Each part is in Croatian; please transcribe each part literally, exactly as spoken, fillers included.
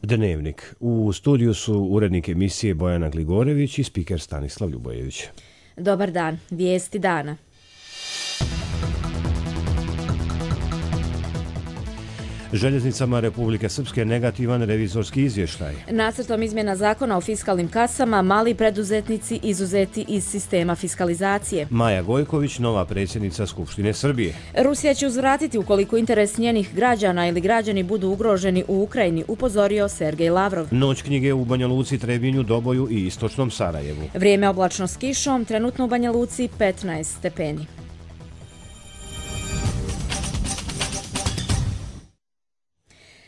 Dnevnik. U studiju su urednik emisije Bojana Gligorević i spiker Stanislav Ljubojević. Dobar dan. Vijesti dana. Željeznicama Republike Srpske negativan revizorski izvještaj. Nacrtom izmjena zakona o fiskalnim kasama mali preduzetnici izuzeti iz sistema fiskalizacije. Maja Gojković, nova predsjednica Skupštine Srbije. Rusija će uzvratiti ukoliko interes njenih građana ili građani budu ugroženi u Ukrajini, upozorio Sergej Lavrov. Noć knjige u Banja Luci, Trebinju, Doboju i istočnom Sarajevu. Vrijeme oblačno s kišom, trenutno u Banja Luci petnaest stepeni.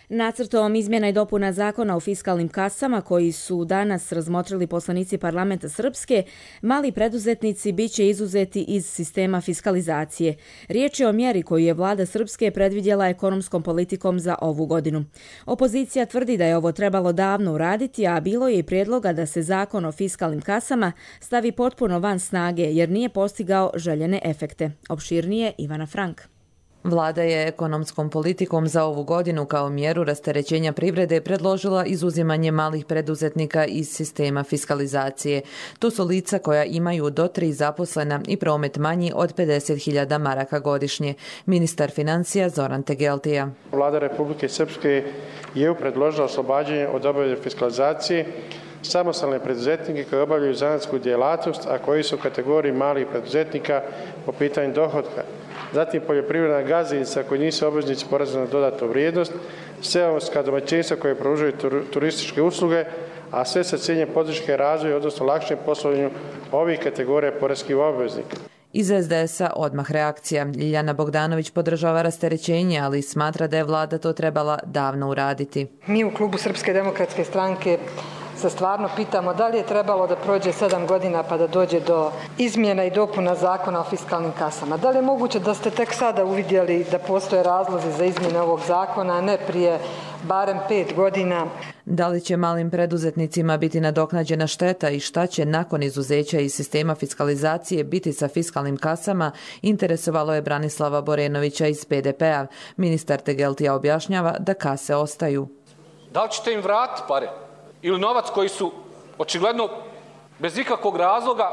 Nacrtom izmjena i dopuna zakona o fiskalnim kasama koji su danas razmotrili poslanici parlamenta Srpske, mali preduzetnici bit će izuzeti iz sistema fiskalizacije. Riječ je o mjeri koju je vlada Srpske predvidjela ekonomskom politikom za ovu godinu. Opozicija tvrdi da je ovo trebalo davno uraditi, a bilo je i prijedloga da se zakon o fiskalnim kasama stavi potpuno van snage jer nije postigao željene efekte. Opširnije Ivana Frank. Vlada je ekonomskom politikom za ovu godinu kao mjeru rasterećenja privrede predložila izuzimanje malih preduzetnika iz sistema fiskalizacije. To su lica koja imaju do tri zaposlena i promet manji od pedeset hiljada maraka godišnje. Ministar financija Zoran Tegeltija. Vlada Republike Srpske je predložila oslobađanje od obaveze fiskalizacije samostalne preduzetnike koji obavljaju zanatsku djelatnost, a koji su u kategoriji malih preduzetnika po pitanju dohotka. Zatim poljoprivredna gazdinstva koji nisu obveznici poreza na dodatnu vrijednost, seoska domaćinstva koje pružaju turističke usluge, a sve sa ciljem podrške razvoja, odnosno lakšem poslovanju ovih kategorija poreskih obveznika. Iz es de es a odmah reakcija. Ljiljana Bogdanović podržava rasterećenje, ali smatra da je vlada to trebala davno uraditi. Mi u klubu Srpske demokratske stranke se stvarno pitamo da li je trebalo da prođe sedam godina pa da dođe do izmjena i dopuna zakona o fiskalnim kasama. Da li je moguće da ste tek sada uvidjeli da postoje razlozi za izmjene ovog zakona, a ne prije barem pet godina? Da li će malim preduzetnicima biti nadoknađena šteta i šta će nakon izuzeća iz sistema fiskalizacije biti sa fiskalnim kasama, interesovalo je Branislava Borenovića iz pe de pe-a. Ministar Tegeltija objašnjava da kase ostaju. Da li ćete im vratiti pare? Ili novac koji su očigledno bez ikakvog razloga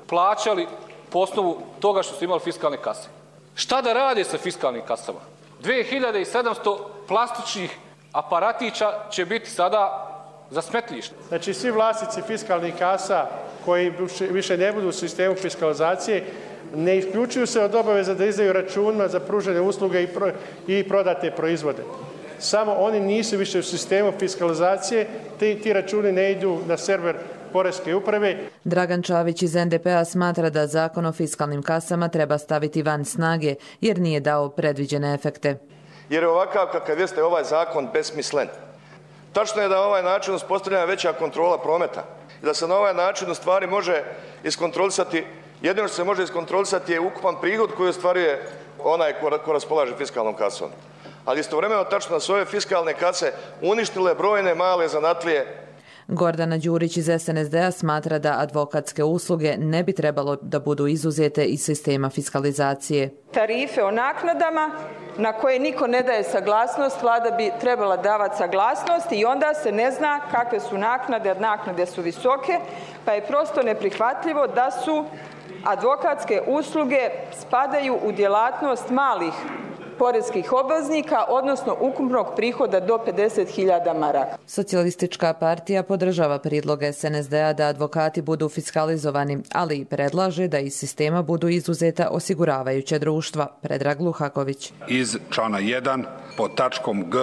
plaćali po osnovu toga što su imali fiskalne kase. Šta da rade sa fiskalnim kasama? dvije hiljade sedamsto plastičnih aparatića će biti sada za smetlište. Znači svi vlasnici fiskalnih kasa koji više ne budu u sistemu fiskalizacije ne isključuju se od obaveza da izdaju računima za pružene usluge i, pro, i prodate proizvode. Samo oni nisu više u sistemu fiskalizacije, ti, ti računi ne idu na server Poreske uprave. Dragan Čavić iz en de pe-a smatra da zakon o fiskalnim kasama treba staviti van snage jer nije dao predviđene efekte. Jer je ovakav kakav jeste ovaj zakon besmislen. Tačno je da ovaj način uspostavljena veća kontrola prometa i da se na ovaj način u stvari može iskontrolisati, jedino što se može iskontrolisati je ukupan prihod koji ostvaruje onaj ko, ko raspolaže fiskalnom kasom. Ali istovremeno tačno da su ove fiskalne kase uništile brojne male zanatlije. Gordana Đurić iz es en es de-a smatra da advokatske usluge ne bi trebalo da budu izuzete iz sistema fiskalizacije. Tarife o naknadama na koje niko ne daje saglasnost, vlada bi trebala davati saglasnost i onda se ne zna kakve su naknade, jer naknade su visoke, pa je prosto neprihvatljivo da su advokatske usluge spadaju u djelatnost malih poreskih obveznika, odnosno ukupnog prihoda do pedeset hiljada maraka. Socijalistička partija podržava prijedlog es en es de-a da advokati budu fiskalizovani, ali i predlaže da iz sistema budu izuzeta osiguravajuća društva. Predrag Luhaković. Iz člana jedan pod tačkom G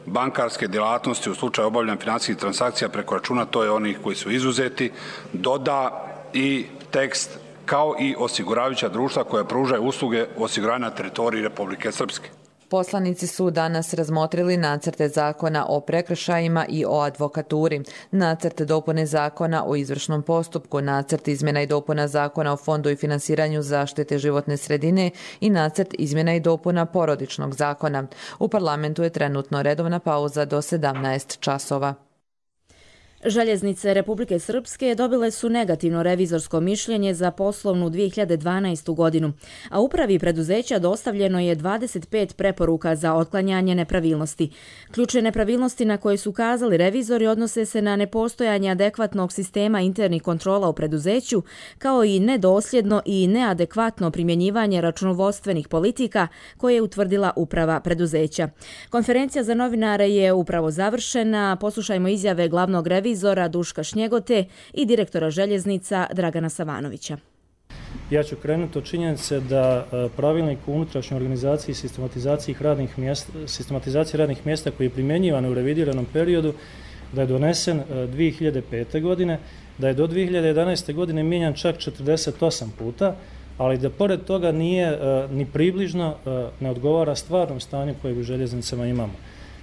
bankarske djelatnosti u slučaju obavljanja financijskih transakcija preko računa, to je onih koji su izuzeti, doda i tekst kao i osiguravajuća društva koja pružaju usluge osiguranja na teritoriji Republike Srpske. Poslanici su danas razmotrili nacrte zakona o prekršajima i o advokaturi, nacrt dopune zakona o izvršnom postupku, nacrt izmjena i dopuna zakona o fondu i finansiranju zaštite životne sredine i nacrt izmjena i dopuna porodičnog zakona. U parlamentu je trenutno redovna pauza do sedamnaest časova. Željeznice Republike Srpske dobile su negativno revizorsko mišljenje za poslovnu dvije hiljade dvanaestu godinu, a upravi preduzeća dostavljeno je dvadeset pet preporuka za otklanjanje nepravilnosti. Ključne nepravilnosti na koje su ukazali revizori odnose se na nepostojanje adekvatnog sistema internih kontrola u preduzeću, kao i nedosljedno i neadekvatno primjenjivanje računovodstvenih politika koje je utvrdila uprava preduzeća. Konferencija za novinare je upravo završena. Poslušajmo izjave glavnog revizora Duška Šnjegote i direktora željeznica Dragana Savanovića. Ja ću krenuti od činjenice da pravilnik o unutrašnjoj organizaciji i sistematizaciji radnih mjesta, sistematizaciji radnih mjesta koji je primjenjivan u revidiranom periodu, da je donesen dvije hiljade pete. godine, da je do dvije hiljade jedanaeste. godine mijenjan čak četrdeset osam puta, ali da pored toga nije ni približno ne odgovara stvarnom stanju koje u željeznicama imamo.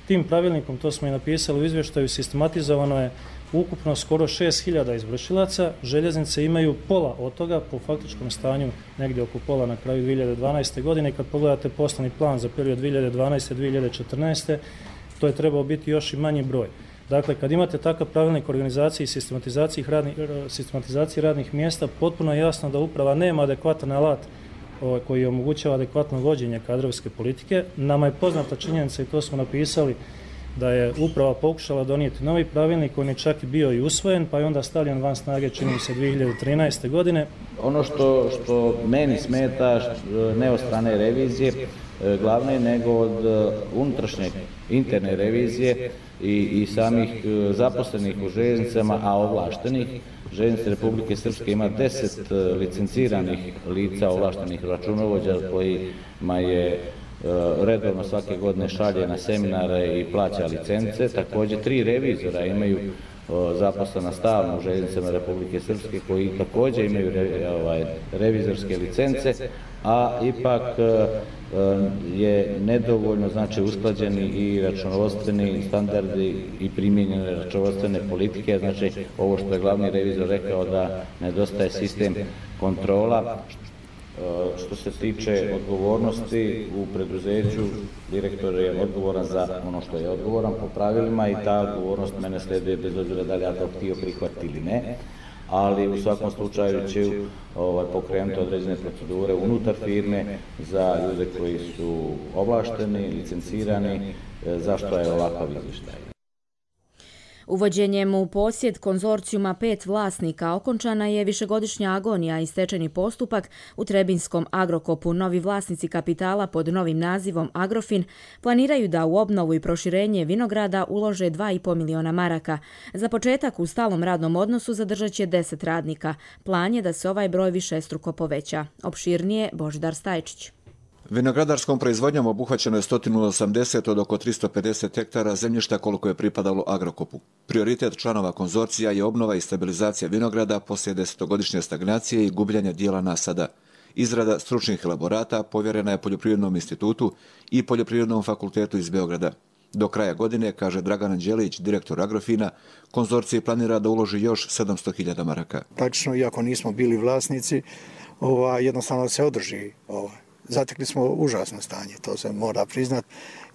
Tim pravilnikom, to smo i napisali u izvještaju, sistematizovano je ukupno skoro šest hiljada izvršilaca. Željeznice imaju pola od toga, po faktičkom stanju negdje oko pola na kraju dvije hiljade dvanaeste. godine. I kad pogledate poslovni plan za period dvije hiljade dvanaeste. do dvije hiljade četrnaeste. to je trebao biti još i manji broj. Dakle, kad imate takav pravilnik organizaciji i sistematizaciji radnih, sistematizaciji radnih mjesta, potpuno je jasno da uprava nema adekvatan alat koji omogućava adekvatno vođenje kadrovske politike. Nama je poznata činjenica, i to smo napisali, da je uprava pokušala donijeti novi pravilnik, on je čak i bio i usvojen, pa je onda stavljen van snage, čini se, dvije hiljade trinaeste. godine. Ono što, što meni smeta, ne od strane revizije glavne, nego od unutrašnje interne revizije i, i samih zaposlenih u željeznicama, a ovlaštenih. Željeznice Republike Srpske ima deset licenciranih lica, ovlaštenih računovođa kojima je redovno svake godine šalje na seminare i plaća licence. Također tri revizora imaju zaposlena stalno u željeznicama Republike Srpske koji također imaju re, ovaj, revizorske licence, a ipak je nedovoljno, znači, usklađeni i računovodstveni standardi i primijenjene računovodstvene politike. Znači, ovo što je glavni revizor rekao, da nedostaje sistem kontrola. Što se tiče odgovornosti u preduzeću, direktor je odgovoran za ono što je odgovoran po pravilima i ta odgovornost mene sleduje bez obzira da li ja to htio prihvatiti ili ne, ali u svakom slučaju će ovaj, pokrenuti određene procedure unutar firme za ljude koji su ovlašteni, licencirani, zašto je ovakav izvještaj. Uvođenjem u posjed konzorcijuma pet vlasnika okončana je višegodišnja agonija i stečajni postupak u Trebinskom Agrokopu. Novi vlasnici kapitala pod novim nazivom Agrofin planiraju da u obnovu i proširenje vinograda ulože dva i po miliona maraka. Za početak u stalnom radnom odnosu zadržat će deset radnika. Plan je da se ovaj broj višestruko poveća. Opširnije Božidar Stajčić. Vinogradarskom proizvodnjom obuhvaćeno je sto osamdeset od oko tristo pedeset hektara zemljišta koliko je pripadalo Agrokopu. Prioritet članova konzorcija je obnova i stabilizacija vinograda poslije desetogodišnje stagnacije i gubljenja dijela nasada. Izrada stručnih elaborata povjerena je Poljoprivrednom institutu i Poljoprivrednom fakultetu iz Beograda. Do kraja godine, kaže Dragan Anđelić, direktor Agrofina, konzorcije planira da uloži još sedamsto hiljada maraka. Praktično, iako nismo bili vlasnici, ova, jednostavno se održi ovaj. Zatekli smo užasno stanje, to se mora priznat.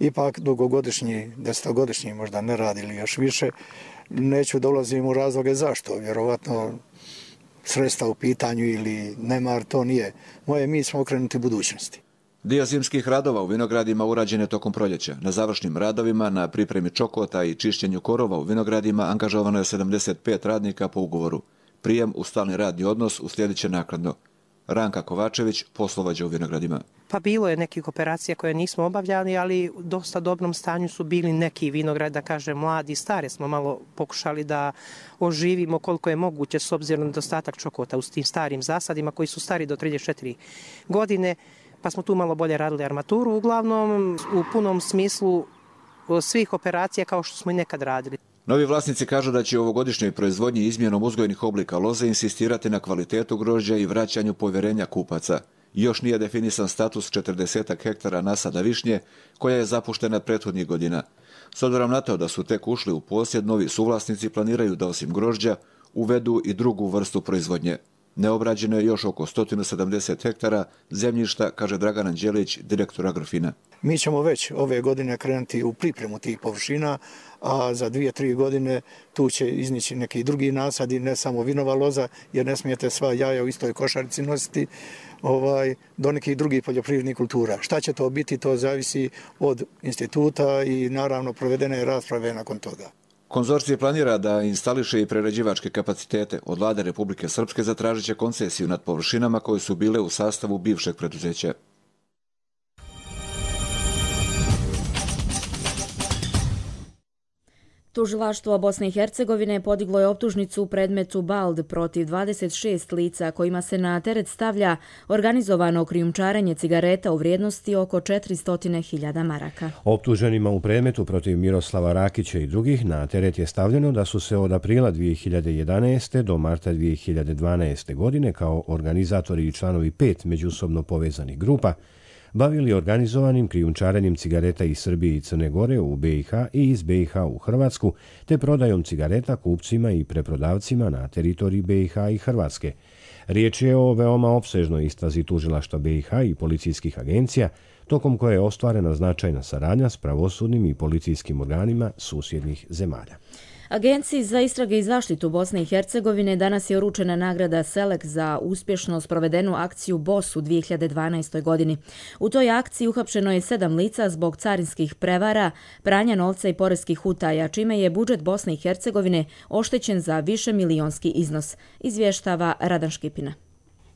Ipak dugogodišnji, desetogodišnji možda ne radi ili još više. Neću da ulazim u razloge zašto. Vjerovatno sredstva u pitanju ili nemar, to nije. Moje, mi smo okrenuti budućnosti. Dio zimskih radova u vinogradima urađen je tokom proljeća. Na završnim radovima, na pripremi čokota i čišćenju korova u vinogradima angažovano je sedamdeset pet radnika po ugovoru. Prijem u stalni radni odnos uslijedit će naknadno. Ranka Kovačević, poslovođa u vinogradima. Pa bilo je nekih operacija koje nismo obavljali, ali u dosta dobrom stanju su bili neki vinograd, da kažem, mladi i stare smo malo pokušali da oživimo koliko je moguće s obzirom na dostatak čokota u tim starim zasadima koji su stari do trideset četiri godine, pa smo tu malo bolje radili armaturu, uglavnom u punom smislu svih operacija kao što smo i nekad radili. Novi vlasnici kažu da će u ovogodišnjoj proizvodnji izmjenom uzgojnih oblika loze insistirati na kvalitetu grožđa i vraćanju povjerenja kupaca. Još nije definisan status četrdeset hektara nasada višnje koja je zapuštena prethodnih godina. S obzirom na to da su tek ušli u posjed, novi suvlasnici planiraju da osim grožđa uvedu i drugu vrstu proizvodnje. Neobrađeno je još oko sto sedamdeset hektara zemljišta, kaže Dragan Anđelić, direktor Agrofina. Mi ćemo već ove godine krenuti u pripremu tih površina, a za dvije, tri godine tu će iznići neki drugi nasadi, ne samo vinova loza, jer ne smijete sva jaja u istoj košarici nositi, ovaj, do nekih drugih poljoprivrednih kultura. Šta će to biti, to zavisi od instituta i naravno provedene rasprave nakon toga. Konzorcije planira da instališe i prerađivačke kapacitete. Od vlade Republike Srpske zatražit će koncesiju nad površinama koje su bile u sastavu bivšeg preduzeća. Tužilaštvo Bosne i Hercegovine podiglo je optužnicu u predmetu Bald protiv dvadeset šest lica kojima se na teret stavlja organizovano krijumčarenje cigareta u vrijednosti oko četiristo hiljada maraka. Optuženima u predmetu protiv Miroslava Rakića i drugih na teret je stavljeno da su se od aprila dvije hiljade jedanaeste. do marta dvije hiljade dvanaeste. godine kao organizatori i članovi pet međusobno povezanih grupa bavili organizovanim krijumčarenjem cigareta iz Srbije i Crne Gore u B i H i iz B i H u Hrvatsku, te prodajom cigareta kupcima i preprodavcima na teritoriji B i H i Hrvatske. Riječ je o veoma opsežnoj istrazi tužilaštva B i H i policijskih agencija, tokom koje je ostvarena značajna saradnja s pravosudnim i policijskim organima susjednih zemalja. Agenciji za istrage i zaštitu Bosne i Hercegovine danas je uručena nagrada Selek za uspješno sprovedenu akciju B O S u dvije hiljade dvanaestoj. godini. U toj akciji uhapšeno je sedam lica zbog carinskih prevara, pranja novca i poreskih utaja, čime je budžet Bosne i Hercegovine oštećen za više milionski iznos, izvještava Radan Škipina.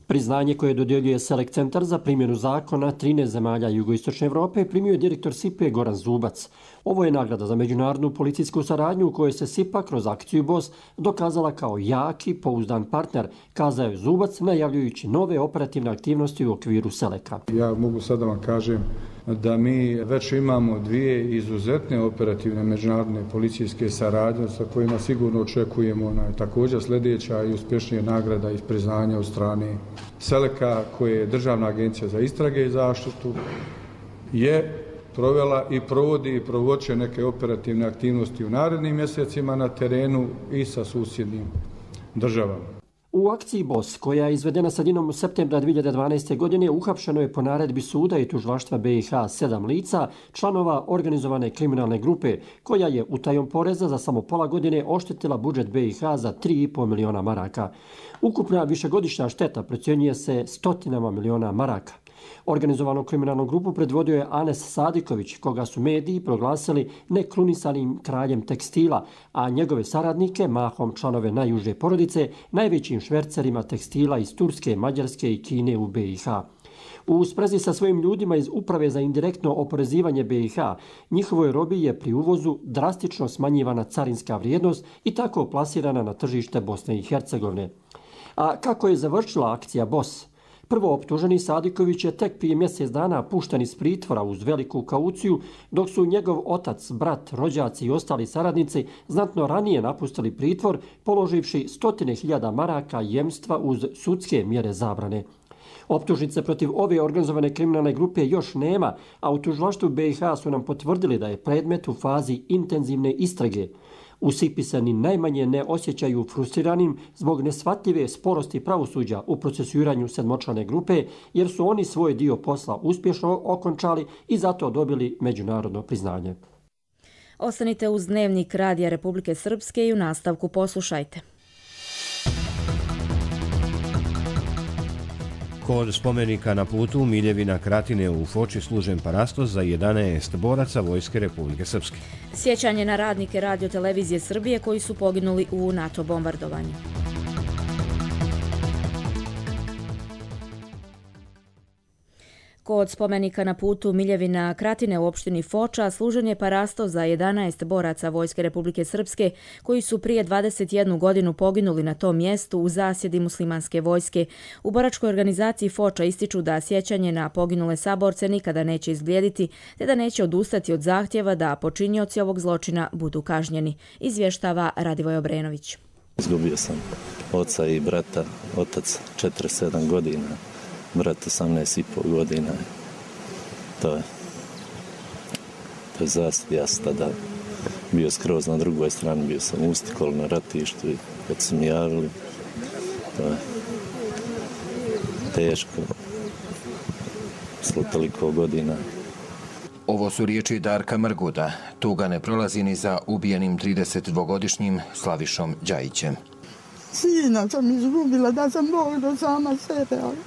Priznanje koje dodjeljuje Selek centar za primjenu zakona trinaest zemalja jugoistočne Evrope primio je direktor S I P E Goran Zubac. Ovo je nagrada za međunarodnu policijsku saradnju u kojoj se S I P A kroz akciju B O S dokazala kao jaki, pouzdan partner, kazao je Zubac najavljujući nove operativne aktivnosti u okviru Seleka. Ja mogu sad da vam kažem da mi već imamo dvije izuzetne operativne međunarodne policijske saradnje sa kojima sigurno očekujemo na također sljedeća i uspješnija nagrada i priznanja od strane Seleka, koje je Državna agencija za istrage i zaštitu je provela i provodi i provoće neke operativne aktivnosti u narednim mjesecima na terenu i sa susjednim državama. U akciji B O S, koja je izvedena sredinom septembra dvije hiljade dvanaeste. godine, uhapšeno je po naredbi suda i tužilaštva B i H sedam lica, članova organizovane kriminalne grupe, koja je utajom poreza za samo pola godine oštetila budžet B i H za tri i po miliona maraka. Ukupna višegodišnja šteta procjenjuje se stotinama miliona maraka. Organizovanu kriminalnu grupu predvodio je Anes Sadiković, koga su mediji proglasili nekrunisanim kraljem tekstila, a njegove saradnike, mahom članove najuže porodice, najvećim švercerima tekstila iz Turske, Mađarske i Kine u B i H. U sprezi sa svojim ljudima iz Uprave za indirektno oporezivanje B i H, njihovoj robi je pri uvozu drastično smanjivana carinska vrijednost i tako plasirana na tržište Bosne i Hercegovine. A kako je završila akcija B O S? Prvo optuženi Sadiković je tek prije mjesec dana pušten iz pritvora uz veliku kauciju, dok su njegov otac, brat, rođaci i ostali saradnici znatno ranije napustili pritvor, položivši stotine hiljada maraka jemstva uz sudske mjere zabrane. Optužnice protiv ove organizovane kriminalne grupe još nema, a u tužilaštvu B i H su nam potvrdili da je predmet u fazi intenzivne istrage. U S I P I se ni najmanje ne osjećaju frustriranim zbog neshvatljive sporosti pravosuđa u procesuiranju sedmočlane grupe, jer su oni svoj dio posla uspješno okončali i zato dobili međunarodno priznanje. Ostanite uz Dnevnik Radija Republike Srpske i u nastavku poslušajte. Kod spomenika na putu Miljevina Kratine u Foči služen parastos za jedanaest boraca Vojske Republike Srpske. Sjećanje na radnike Radio-televizije Srbije koji su poginuli u NATO bombardovanju. Kod spomenika na putu Miljevina Kratine u opštini Foča služen je parastos za jedanaest boraca Vojske Republike Srpske koji su prije dvadeset jednu godinu poginuli na tom mjestu u zasjedi muslimanske vojske. U boračkoj organizaciji Foča ističu da sjećanje na poginule saborce nikada neće izblijediti, te da neće odustati od zahtjeva da počinioci ovog zločina budu kažnjeni, izvještava Radivoj Obrenović. Izgubio sam oca i brata, otac četrdeset sedam godina. Brat osamnaest i pol godina. To je, to je zasad. Ja sam tada bio skroz na drugoj strani, bio sam u Stikolu na ratištu i kad su mi javili, to je, teško posle toliko godina. Ovo su riječi Darka Mrguda. Tuga ne prolazi ni za ubijenim tridesetdvogodišnjim Slavišom Đajićem. Sina sam izgubila, da sam Bog do sama sebe, ali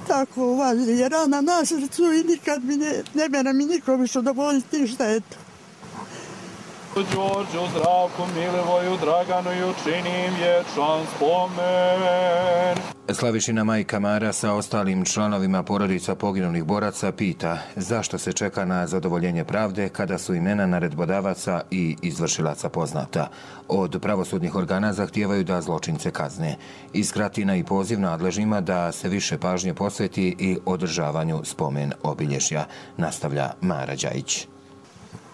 tako važni je rana na srcu i nikad mi ne, ne mene mi niko više dovoljiti štetu. Đorđu, Zdravku, Milivoju, Draganu i učinim vječan spomen. Slavišina majka Mara sa ostalim članovima porodica poginulih boraca pita zašto se čeka na zadovoljenje pravde kada su imena naredbodavaca i izvršilaca poznata. Od pravosudnih organa zahtijevaju da zločince kazne. Iz Kratina i poziv nadležnjima da se više pažnje posveti i održavanju spomen obilježja, nastavlja Mara Đajić.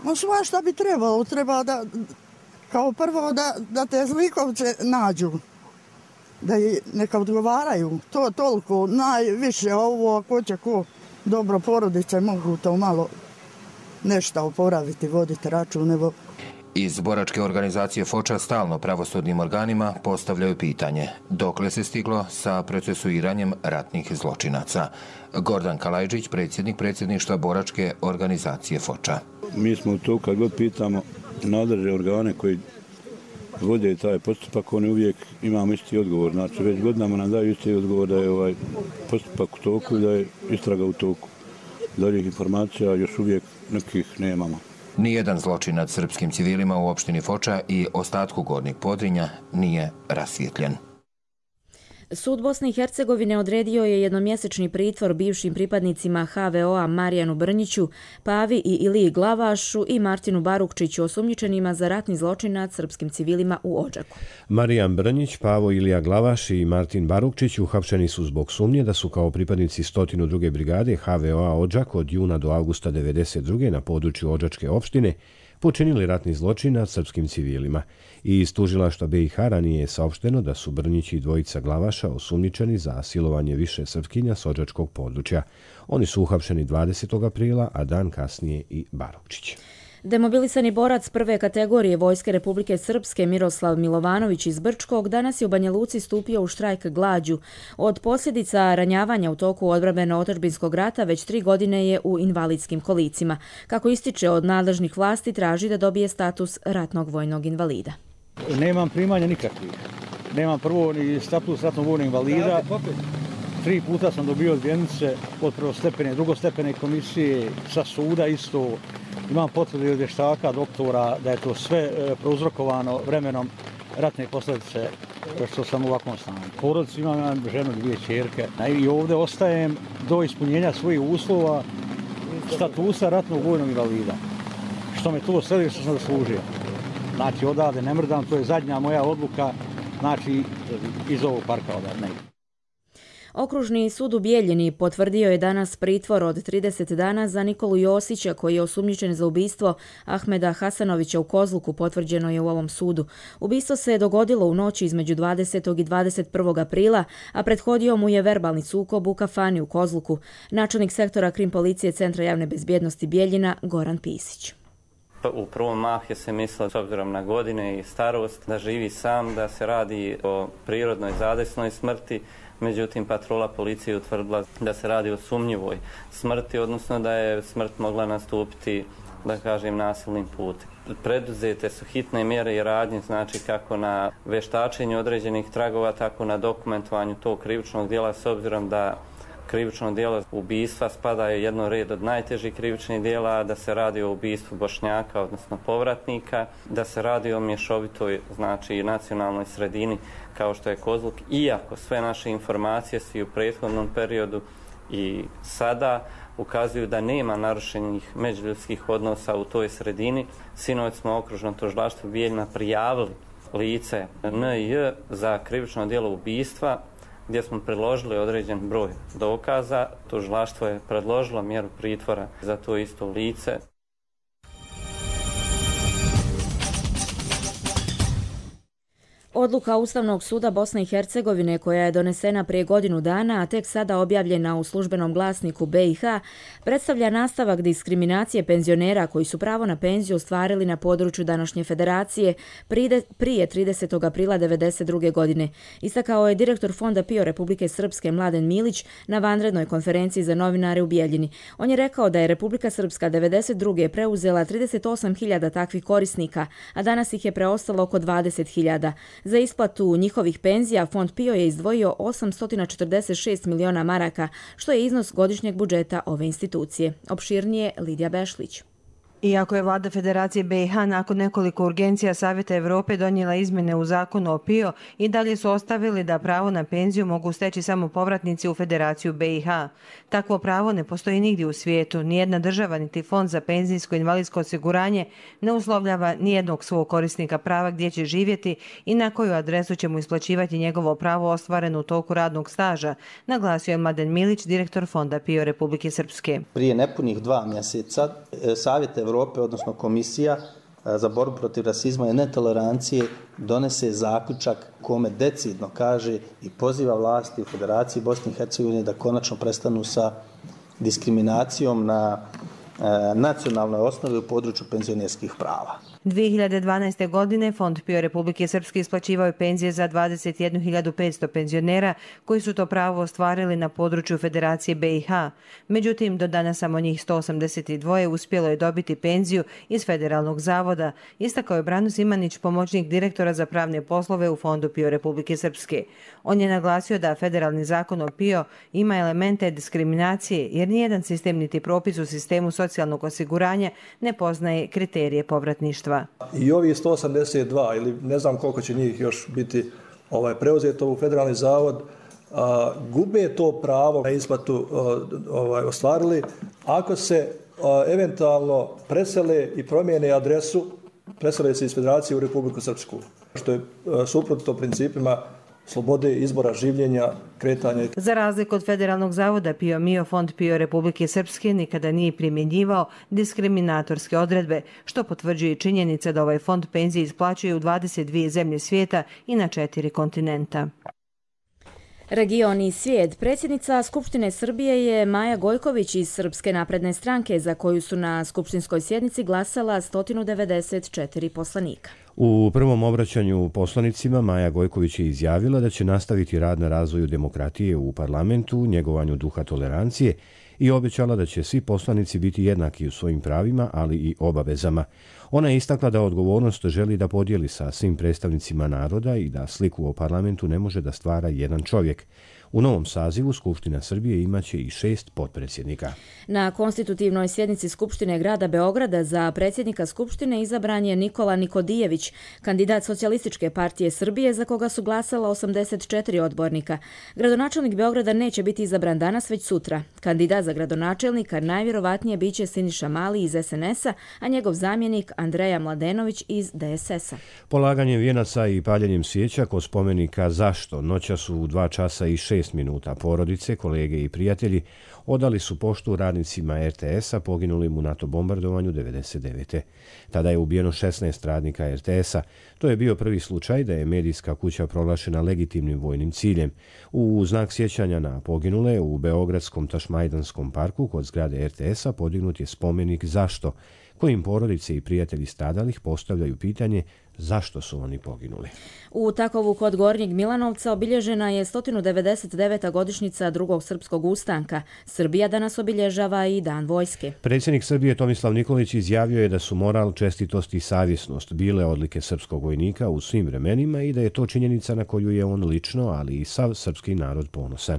No svašta bi trebalo, treba da, kao prvo da, da te zlikovce nađu, da i neka odgovaraju, to toliko, najviše ovo, ako će ko dobro porodice mogu to malo nešto oporaviti, voditi račun, evo. Iz boračke organizacije Foča stalno pravosudnim organima postavljaju pitanje dokle se stiglo sa procesuiranjem ratnih zločinaca. Gordan Kalajđić, predsjednik predsjedništva boračke organizacije Foča. Mi smo tu kad god pitamo nadležne organe koji vode taj postupak, oni uvijek imamo isti odgovor. Znači već godinama nam daju isti odgovor da je ovaj postupak u toku i da je istraga u toku. Daljih informacija još uvijek nekih nemamo. Nijedan zločin nad srpskim civilima u opštini Foča i ostatku Gornjeg Podrinja nije rasvijetljen. Sud Bosne i Hercegovine odredio je jednomjesečni pritvor bivšim pripadnicima ha ve o a Marijanu Brnjiću, Pavi i Iliji Glavašu i Martinu Barukčiću, osumnjičenima za ratni zločin nad srpskim civilima u Odžaku. Marijan Brnjić, Pavo Ilija Glavaš i Martin Barukčić uhapšeni su zbog sumnje da su kao pripadnici sto druge brigade ha ve o a Odžak od juna do avgusta devedeset druge na području Odžačke opštine počinili ratni zločin nad srpskim civilima. I iz tužilaštva be i ha ranije je saopšteno da su Brnjić i dvojica Glavaša osumnjičeni za silovanje više Srpkinja s Odžačkog područja. Oni su uhapšeni dvadesetog aprila, a dan kasnije i Barukčić. Demobilisani borac prve kategorije Vojske Republike Srpske Miroslav Milovanović iz Brčkog danas je u Banja Luci stupio u štrajk glađu. Od posljedica ranjavanja u toku odbrambeno-otadžbinskog rata već tri godine je u invalidskim kolicima. Kako ističe, od nadležnih vlasti traži da dobije status ratnog vojnog invalida. Nemam primanja nikakvih. Nemam prvo ni status ratnog vojnog invalida. Tri puta sam dobio odbijenice od prvostepene, drugostepene komisije, sa suda isto. Imam potvrdu od vještaka, doktora, da je to sve prouzrokovano vremenom ratne posljedice što sam u ovakvom stanju. Porodicu imam ženu, dvije ćerke i ovdje ostajem do ispunjenja svojih uslova statusa ratnog vojnog invalida. Što me to sve što sam zaslužio. Znači odavde ne mrdam, to je zadnja moja odluka, znači iz ovog parka odavde. Okružni sud u Bijeljini potvrdio je danas pritvor od trideset dana za Nikolu Josića, koji je osumnjičen za ubistvo Ahmeda Hasanovića u Kozluku, potvrđeno je u ovom sudu. Ubistvo se je dogodilo u noći između dvadesetog i dvadeset prvog aprila, a prethodio mu je verbalni sukob u kafani u Kozluku. Načelnik sektora krim policije Centra javne bezbjednosti Bijeljina Goran Pisić. U prvom mah je se mislilo, s obzirom na godine i starost, da živi sam, da se radi o prirodnoj zadesnoj smrti. Međutim, patrola policije utvrdila da se radi o sumnjivoj smrti, odnosno da je smrt mogla nastupiti, da kažem, nasilnim putem. Preduzete su hitne mjere i radnje, znači kako na veštačenju određenih tragova, tako na dokumentovanju tog krivičnog djela, s obzirom da krivično djelo ubistva spada je jedno red od najtežih krivičnih djela, da se radi o ubistvu Bošnjaka, odnosno povratnika, da se radi o mješovitoj, znači nacionalnoj sredini kao što je Kozluk, iako sve naše informacije su i u prethodnom periodu i sada ukazuju da nema narušenih međuljudskih odnosa u toj sredini. Sinoć smo okružno tužilaštvo Bijeljina prijavili lice en je za krivično djelo ubistva, gdje smo priložili određen broj dokaza. Tužilaštvo je predložilo mjeru pritvora za to isto lice. Odluka Ustavnog suda Bosne i Hercegovine koja je donesena prije godinu dana, a tek sada objavljena u službenom glasniku B i H, predstavlja nastavak diskriminacije penzionera koji su pravo na penziju ostvarili na području današnje federacije prije tridesetog aprila devedeset druge. godine. Istakao je direktor Fonda PIO Republike Srpske Mladen Milić na vanrednoj konferenciji za novinare u Bijeljini. On je rekao da je Republika Srpska devedeset druge preuzela trideset osam hiljada takvih korisnika, a danas ih je preostalo oko dvadeset hiljada. Za isplatu njihovih penzija Fond PIO je izdvojio osamsto četrdeset šest miliona maraka, što je iznos godišnjeg budžeta ove institucije. Opširnije Lidija Bešlić. Iako je vlada Federacije B i H nakon nekoliko urgencija Savjeta Evrope donijela izmjene u zakonu o PIO, i dalje su ostavili da pravo na penziju mogu steći samo povratnici u Federaciju B i H. Takvo pravo ne postoji nigdje u svijetu. Nijedna država niti Fond za penzijsko i invalidsko osiguranje ne uslovljava nijednog svog korisnika prava gdje će živjeti i na koju adresu će mu isplaćivati njegovo pravo ostvareno u toku radnog staža, naglasio je Mladen Milić, direktor Fonda PIO Republike Srpske. Prije nepunih dva mjeseca Savjet Evrope, odnosno Komisija za borbu protiv rasizma i netolerancije, donese zaključak kome decidno kaže i poziva vlasti u Federaciji Bosne i Hercegovine da konačno prestanu sa diskriminacijom na nacionalnoj osnovi u području penzionerskih prava. dvije hiljade dvanaeste. godine Fond PIO Republike Srpske isplaćivao je penzije za dvadeset jednu hiljadu petsto penzionera koji su to pravo ostvarili na području Federacije B i H. Međutim, do danas samo njih sto osamdeset dva uspjelo je dobiti penziju iz Federalnog zavoda, istakao je Brano Simanić, pomoćnik direktora za pravne poslove u Fondu PIO Republike Srpske. On je naglasio da federalni zakon o PIO ima elemente diskriminacije jer nijedan sistem niti propis u sistemu socijalnog osiguranja ne poznaje kriterije povratništva. I ovi sto osamdeset dva ili ne znam koliko će njih još biti ovaj, preuzeto u federalni zavod, a, gube to pravo na isplatu a, ovaj, ostvarili ako se a, eventualno presele i promijene adresu, presele se iz Federacije u Republiku Srpsku, što je a, suprotno principima slobode izbora življenja, kretanja. Za razliku od Federalnog zavoda PIO Mio, Fond PIO Republike Srpske nikada nije primjenjivao diskriminatorske odredbe, što potvrđuje činjenica da ovaj fond penzije isplaćuje u dvadeset dvije zemlje svijeta i na četiri kontinenta. Region i svijet. Predsjednica Skupštine Srbije je Maja Gojković iz Srpske napredne stranke, za koju su na skupštinskoj sjednici glasala sto devedeset četiri poslanika. U prvom obraćanju poslanicima Maja Gojković je izjavila da će nastaviti rad na razvoju demokratije u parlamentu, njegovanju duha tolerancije i obećala da će svi poslanici biti jednaki u svojim pravima, ali i obavezama. Ona je istakla da odgovornost želi da podijeli sa svim predstavnicima naroda i da sliku o parlamentu ne može da stvara jedan čovjek. U novom sazivu Skupština Srbije imaće i šest potpredsjednika. Na konstitutivnoj sjednici Skupštine grada Beograda za predsjednika Skupštine izabran je Nikola Nikodijević, kandidat Socijalističke partije Srbije za koga su glasala osamdeset četiri odbornika. Gradonačelnik Beograda neće biti izabran danas, već sutra. Kandidat za gradonačelnika najvjerovatnije biće Siniša Mali iz S N S-a, a njegov zamjenik Andreja Mladenović iz D S S-a. Polaganjem vijenaca i paljenjem svijeća kod spomenika Zašto noća su u dva časa i šest minuta porodice, kolege i prijatelji odali su poštu radnicima R T S-a poginulim u NATO bombardovanju devedeset devete. Tada je ubijeno šesnaest radnika R T S-a. To je bio prvi slučaj da je medijska kuća proglašena legitimnim vojnim ciljem. U znak sjećanja na poginule u Beogradskom Tašmajdanskom parku kod zgrade R T S-a podignut je spomenik Zašto, kojim porodice i prijatelji stradalih postavljaju pitanje zašto su oni poginuli. U Takovu kod Gornjeg Milanovca obilježena je sto devedeset deveta godišnjica drugog srpskog ustanka. Srbija danas obilježava i Dan vojske. Predsjednik Srbije Tomislav Nikolić izjavio je da su moral, čestitost i savjesnost bile odlike srpskog vojnika u svim vremenima i da je to činjenica na koju je on lično, ali i sav srpski narod ponosan.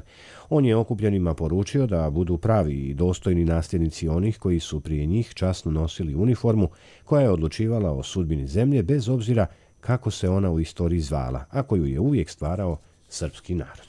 On je okupljenima poručio da budu pravi i dostojni nasljednici onih koji su prije njih časno nosili uniformu koja je odlučivala o sudbini zemlje bez obzira kako se ona u istoriji zvala, a koju je uvijek stvarao srpski narod.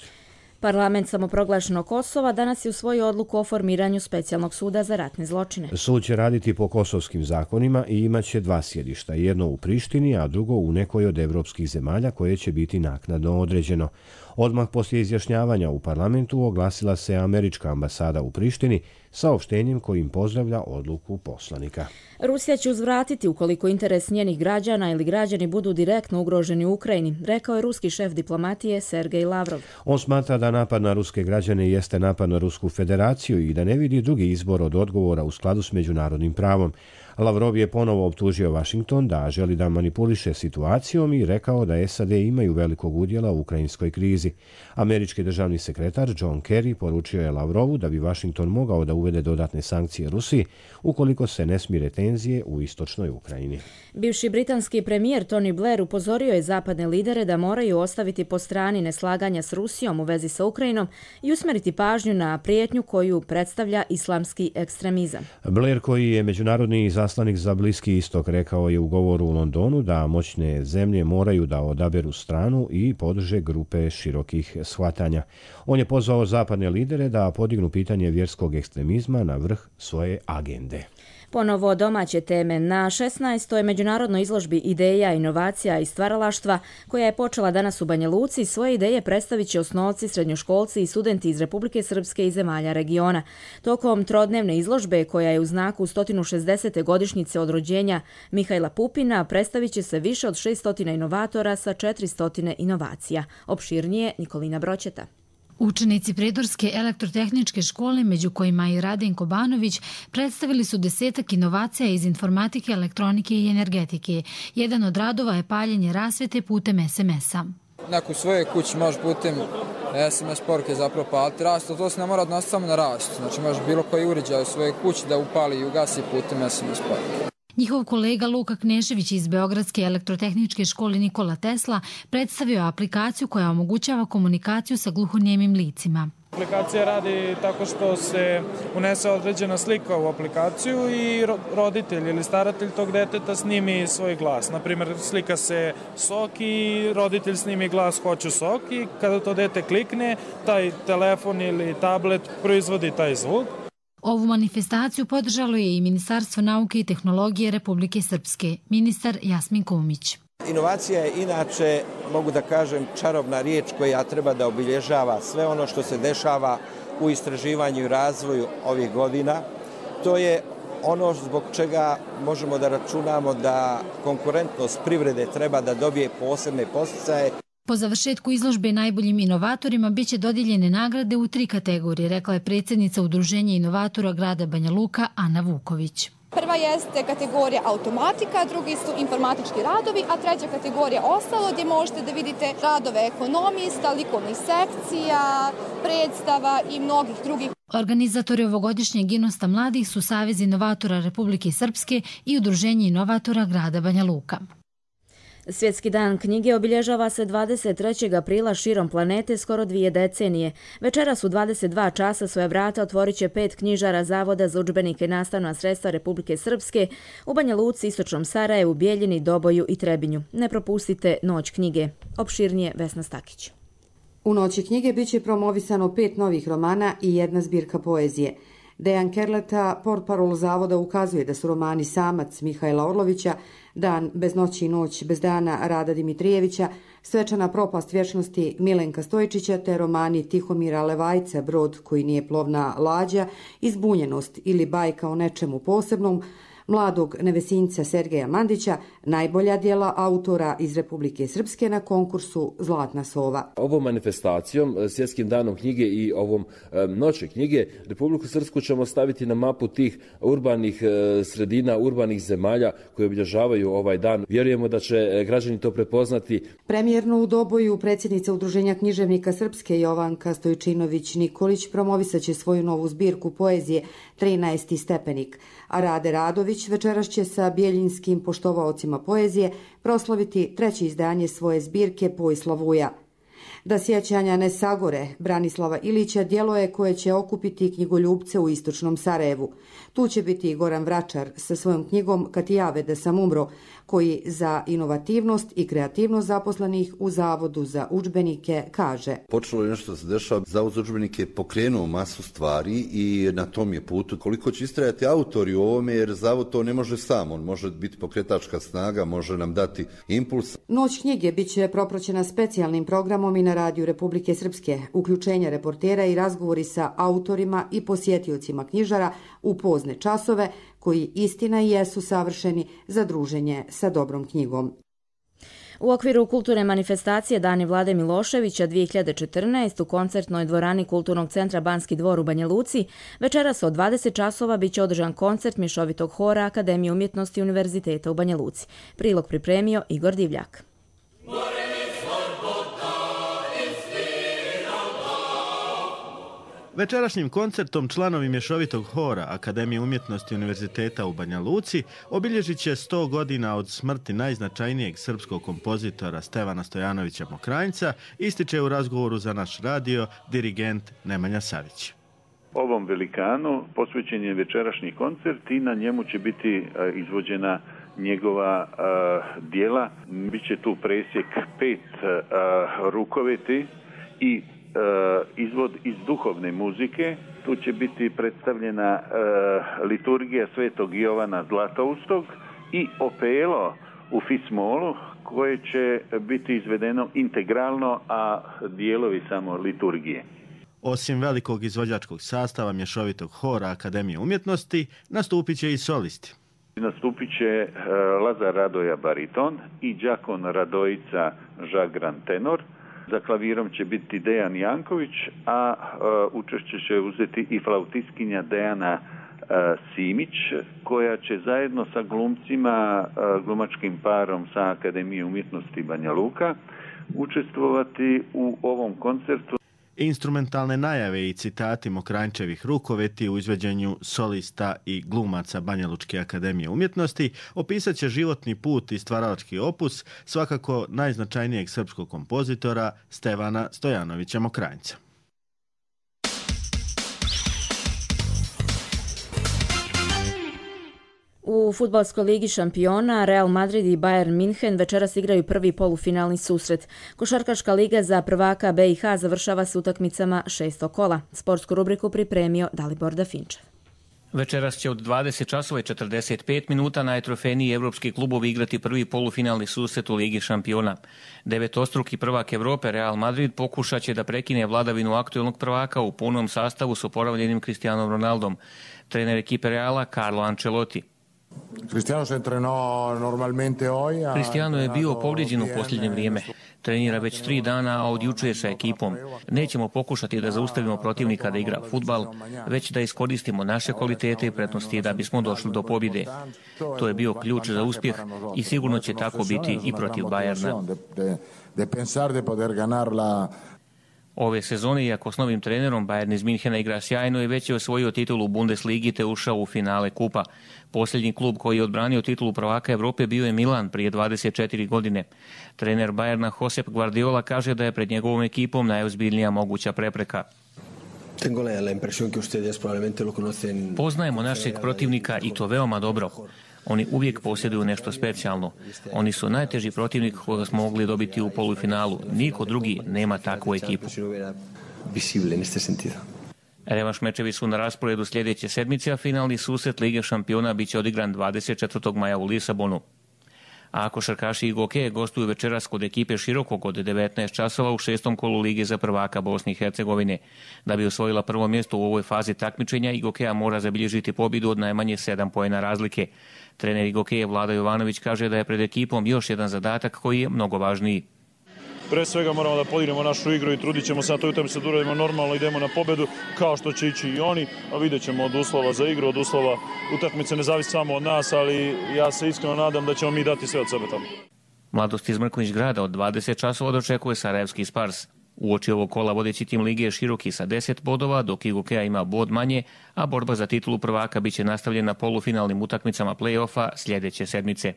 Parlament samoproglašenog Kosova danas je usvojio odluku o formiranju specijalnog suda za ratne zločine. Sud će raditi po kosovskim zakonima i imaće dva sjedišta, jedno u Prištini, a drugo u nekoj od evropskih zemalja koje će biti naknadno određeno. Odmah poslije izjašnjavanja u parlamentu oglasila se američka ambasada u Prištini saopštenjem kojim pozdravlja odluku poslanika. Rusija će uzvratiti ukoliko interes njenih građana ili građani budu direktno ugroženi u Ukrajini, rekao je ruski šef diplomatije Sergej Lavrov. On smatra da napad na ruske građane jeste napad na Rusku federaciju i da ne vidi drugi izbor od odgovora u skladu s međunarodnim pravom. Lavrov je ponovo optužio Washington da želi da manipuliše situacijom i rekao da S A D imaju velikog udjela u ukrajinskoj krizi. Američki državni sekretar John Kerry poručio je Lavrovu da bi Washington mogao da uvede dodatne sankcije Rusiji ukoliko se ne smire tenzije u istočnoj Ukrajini. Bivši britanski premijer Tony Blair upozorio je zapadne lidere da moraju ostaviti po strani neslaganja s Rusijom u vezi sa Ukrajinom i usmeriti pažnju na prijetnju koju predstavlja islamski ekstremizam. Blair, koji je međunarodni zaslanik za Bliski istok, rekao je u govoru u Londonu da moćne zemlje moraju da odaberu stranu i podrže grupe širokih shvatanja. On je pozvao zapadne lidere da podignu pitanje vjerskog ekstremizma na vrh svoje agende. Ponovo domaće teme. Na šesnaestoj međunarodnoj izložbi ideja, inovacija i stvaralaštva, koja je počela danas u Banja Luci, svoje ideje predstavit će osnovci, srednjoškolci i studenti iz Republike Srpske i zemalja regiona. Tokom trodnevne izložbe, koja je u znaku sto šezdesete godišnjice od rođenja Mihajla Pupina, predstavit će se više od šesto inovatora sa četiristo inovacija. Opširnije Nikolina Broćeta. Učenici Prijedorske elektrotehničke škole, među kojima i Radenko Banović, predstavili su desetak inovacija iz informatike, elektronike i energetike. Jedan od radova je paljenje rasvete putem es em es-a. Neko u svojoj kući može putem es em es poruke zapravo paliti rasvetu, to se ne mora odnositi samo na rasvetu. Znači može bilo koji uređaj u svojoj kući da upali i ugasi putem es em es poruke. Njihov kolega Luka Knešević iz Beogradske elektrotehničke škole Nikola Tesla predstavio aplikaciju koja omogućava komunikaciju sa gluhonijemim licima. Aplikacija radi tako što se unese određena slika u aplikaciju i roditelj ili staratelj tog deteta snimi svoj glas. Naprimjer, slika se sok i roditelj snimi glas hoću sok i kada to dete klikne, taj telefon ili tablet proizvodi taj zvuk. Ovu manifestaciju podržalo je i Ministarstvo nauke i tehnologije Republike Srpske, ministar Jasmin Kumić. Inovacija je inače, mogu da kažem, čarobna riječ koja treba da obilježava sve ono što se dešava u istraživanju i razvoju ovih godina. To je ono zbog čega možemo da računamo da konkurentnost privrede treba da dobije posebne podsticaje. Po završetku izložbe najboljim inovatorima biće dodijeljene nagrade u tri kategorije, rekla je predsjednica Udruženja inovatora grada Banja Luka Ana Vuković. Prva jeste kategorija automatika, drugi su informatički radovi, a treća kategorija ostalo gdje možete da vidite radove ekonomista, likovnih sekcija, predstava i mnogih drugih. Organizatori ovogodišnjeg Inosta mladih su Savez inovatora Republike Srpske i Udruženje inovatora grada Banja Luka. Svjetski dan knjige obilježava se dvadeset trećeg aprila širom planete skoro dvije decenije. Večeras u dvadeset dva časa svoja vrata otvorit će pet knjižara Zavoda za udžbenike i nastavna sredstva Republike Srpske u Banja Luci, Istočnom Sarajevu, Bijeljini, Doboju i Trebinju. Ne propustite Noć knjige. Opširnije Vesna Stakić. U Noći knjige biće promovisano pet novih romana i jedna zbirka poezije. Dejan Kerleta, portparol Zavoda, ukazuje da su romani Samac Mihajla Orlovića, Dan bez noći i noć bez dana Rada Dimitrijevića, Svečana propast vječnosti Milenka Stojčića te romani Tihomira Levajca, Brod koji nije plovna lađa, Izbunjenost ili bajka o nečemu posebnom, mladog nevesinca Sergeja Mandića, najbolja djela autora iz Republike Srpske na konkursu Zlatna sova. Ovom manifestacijom, Svjetskim danom knjige i ovom Noći knjige, Republiku Srpsku ćemo staviti na mapu tih urbanih sredina, urbanih zemalja koje obilježavaju ovaj dan. Vjerujemo da će građani to prepoznati. Premijerno u Doboju predsjednica Udruženja književnika Srpske Jovanka Stojčinović-Nikolić promovisat će svoju novu zbirku poezije trinaesti stepenik, a Rade Radović večeras će sa bijeljinskim poštovaocima poezije proslaviti treće izdanje svoje zbirke Pojslavuja. Da sjećanja ne sagore, Branislava Ilića djelo je koje će okupiti knjigoljubce u Istočnom Sarajevu. Tu će biti i Goran Vračar sa svojom knjigom Kad ti jave da sam umro, koji za inovativnost i kreativnost zaposlenih u Zavodu za udžbenike kaže. Počelo je nešto da se dešava, Zavod za udžbenike je pokrenuo masu stvari i na tom je putu. Koliko će istrajati autori u ovome, jer Zavod to ne može sam, on može biti pokretačka snaga, može nam dati impuls. Noć knjige bit će propraćena specijalnim programom i na Radiju Republike Srpske, uključenja reportera i razgovori sa autorima i posjetiocima knjižara u pozne časove, koji istina i jesu savršeni za druženje sa dobrom knjigom. U okviru kulturne manifestacije Dani Vlade Miloševića dvije hiljade četrnaeste u koncertnoj dvorani Kulturnog centra Banski dvor u Banja Luci večeras od dvadeset časova biće održan koncert mješovitog hora Akademije umjetnosti Univerziteta u Banja Luci. Prilog pripremio Igor Divljak. Večerašnjim koncertom članovi mješovitog hora Akademije umjetnosti Univerziteta u Banja Luci obilježit će sto godina od smrti najznačajnijeg srpskog kompozitora Stevana Stojanovića Mokranjca, ističe u razgovoru za naš radio dirigent Nemanja Savić. Ovom velikanu posvećen je večerašnji koncert i na njemu će biti izvođena njegova uh, dijela. Biće tu presjek pet uh, rukoveti i izvod iz duhovne muzike. Tu će biti predstavljena e, liturgija Svetog Jovana Zlatoustog i opelo u fismolu koje će biti izvedeno integralno, a dijelovi samo liturgije. Osim velikog izvođačkog sastava mješovitog hora Akademije umjetnosti, nastupit će i solisti. Nastupit će e, Lazar Radoja bariton i Đakon Radojica Žagran tenor. Za klavirom će biti Dejan Janković, a uh, učešće će uzeti i flautiskinja Dejana uh, Simić, koja će zajedno sa glumcima, uh, glumačkim parom sa Akademije umjetnosti Banja Luka učestvovati u ovom koncertu. Instrumentalne najave i citati Mokranjčevih rukoveti u izveđenju solista i glumaca Banjalučke akademije umjetnosti opisat će životni put i stvaralački opus svakako najznačajnijeg srpskog kompozitora Stevana Stojanovića Mokranjca. U fudbalskoj ligi šampiona Real Madrid i Bayern München večeras igraju prvi polufinalni susret. Košarkaška liga za prvaka B i H završava s utakmicama šestog kola. Sportsku rubriku pripremio Dalibor Dafinčev. Večeras će od dvadeset časova i četrdeset pet minuta najtrofejniji evropski klubovi igrati prvi polufinalni susret u Ligi šampiona. Devetostruki prvak Evrope Real Madrid pokušat će da prekine vladavinu aktuelnog prvaka u punom sastavu s oporavljenim Cristianom Ronaldom. Trener ekipe Reala Carlo Ancelotti. Cristiano je bio povrijeđen u posljednje vrijeme. Trenira već tri dana, a odjučuje sa ekipom. Nećemo pokušati da zaustavimo protivnika da igra fudbal, već da iskoristimo naše kvalitete i prednosti da bismo došli do pobjede. To je bio ključ za uspjeh i sigurno će tako biti i protiv Bayerna. Ove sezone, iako s novim trenerom, Bayern iz Minhena igra sjajno i već je osvojio titulu Bundesligi te ušao u finale kupa. Posljednji klub koji je odbranio titulu prvaka Evrope bio je Milan prije dvadeset četiri godine. Trener Bayerna Josep Guardiola kaže da je pred njegovom ekipom najozbiljnija moguća prepreka. Poznajemo našeg protivnika i to veoma dobro. Oni uvijek posjeduju nešto specijalno. Oni su najteži protivnik koga smo mogli dobiti u polufinalu. Niko drugi nema takvu ekipu. Revanš mečevi su na rasporedu sljedeće sedmice, a finalni susret Lige šampiona biće odigran dvadeset četvrtog maja u Lisabonu. A košarkaši Igoke gostuju večeras kod ekipe Širokog od devetnaest časova u šestom kolu Lige za prvaka Bosne i Hercegovine. Da bi osvojila prvo mjesto u ovoj fazi takmičenja, Igokea mora zabilježiti pobjedu od najmanje sedam poena razlike. Trener Igokeje Vlada Jovanović kaže da je pred ekipom još jedan zadatak koji je mnogo važniji. Pre svega moramo da podignemo našu igru i trudit ćemo se na toj utakmici da uradimo normalno, idemo na pobedu kao što će ići i oni, a vidjet ćemo od uslova za igru, od uslova utakmice ne zavisi samo od nas, ali ja se iskreno nadam da ćemo mi dati sve od sebe tamo. Mladost iz Mrkonjić Grada od dvadeset časova dočekuje Sarajevski Spars. Uoči ovog kola vodeći tim lige je Široki sa deset bodova, dok Igokea ima bod manje, a borba za titulu prvaka biće nastavljena polufinalnim utakmicama play-offa sljedeće sedmice.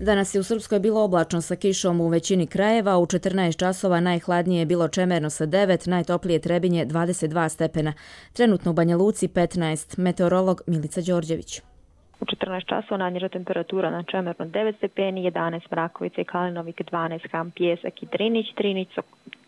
Danas je u Srpskoj bilo oblačno sa kišom u većini krajeva, u četrnaest časova najhladnije je bilo Čemerno sa devet, najtoplije Trebinje dvadeset dva stepena. Trenutno u Banja Luci petnaest, meteorolog Milica Đorđević. U četrnaest časova najniža temperatura na Čemernu devet stepeni, jedanaest Mrakovica i Kalinovik, dvanaest Ham, Pjesak i Drinić,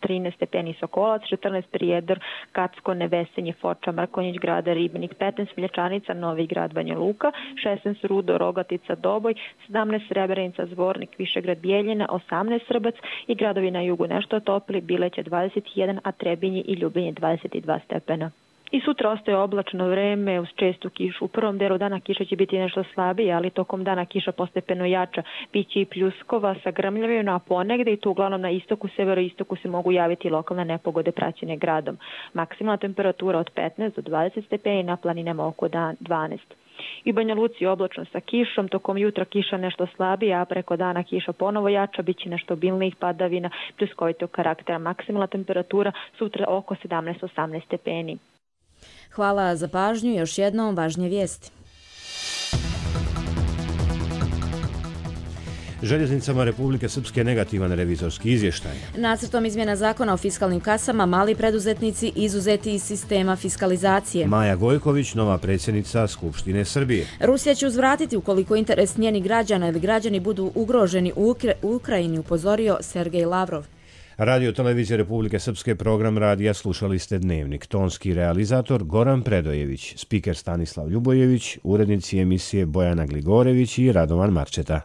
trinaest stepeni Sokolac, četrnaest Prijedor, Kacko, Nevesenje, Foča, Mrkonjić, Grada, Ribnik, petnaest Miljačanica, Novi Grad, Banja Luka, šesnaest Rudo, Rogatica, Doboj, sedamnaest Srebrenica, Zvornik, Višegrad, Bijeljina, osamnaest Srbac i gradovi na jugu nešto topli, Bileće dvadeset jedan, a Trebinje i Ljubinje dvadeset dva stepena. I sutra ostaje oblačno vreme uz čestu kišu. U prvom delu dana kiša će biti nešto slabija, ali tokom dana kiša postepeno jača. Biće i pljuskova sa grmljavima, a ponegde i tu uglavnom na istoku, severoistoku se mogu javiti lokalne nepogode praćene gradom. Maksimalna temperatura od petnaest do dvadeset stepeni, na planinama oko dvanaest. I Banja Luci oblačno sa kišom, tokom jutra kiša nešto slabija, a preko dana kiša ponovo jača, bit će nešto obilnijih padavina, pljuskovitog karaktera. Maksimalna temperatura sutra oko sedamnaest do osamnaest stepeni. Hvala za pažnju. Još jednom važnije vijesti. Željeznicama Republike Srpske negativan revizorski izvještaj. Nacrtom izmjena zakona o fiskalnim kasama mali preduzetnici izuzeti iz sistema fiskalizacije. Maja Gojković, nova predsjednica Skupštine Srbije. Rusija će uzvratiti ukoliko interes njenih građana ili građani budu ugroženi u Ukra- Ukrajini, upozorio Sergej Lavrov. Radio Televizije Republike Srpske, program radija slušali ste Dnevnik. Tonski realizator Goran Predojević, spiker Stanislav Ljubojević, urednici emisije Bojana Gligorević i Radovan Marčeta.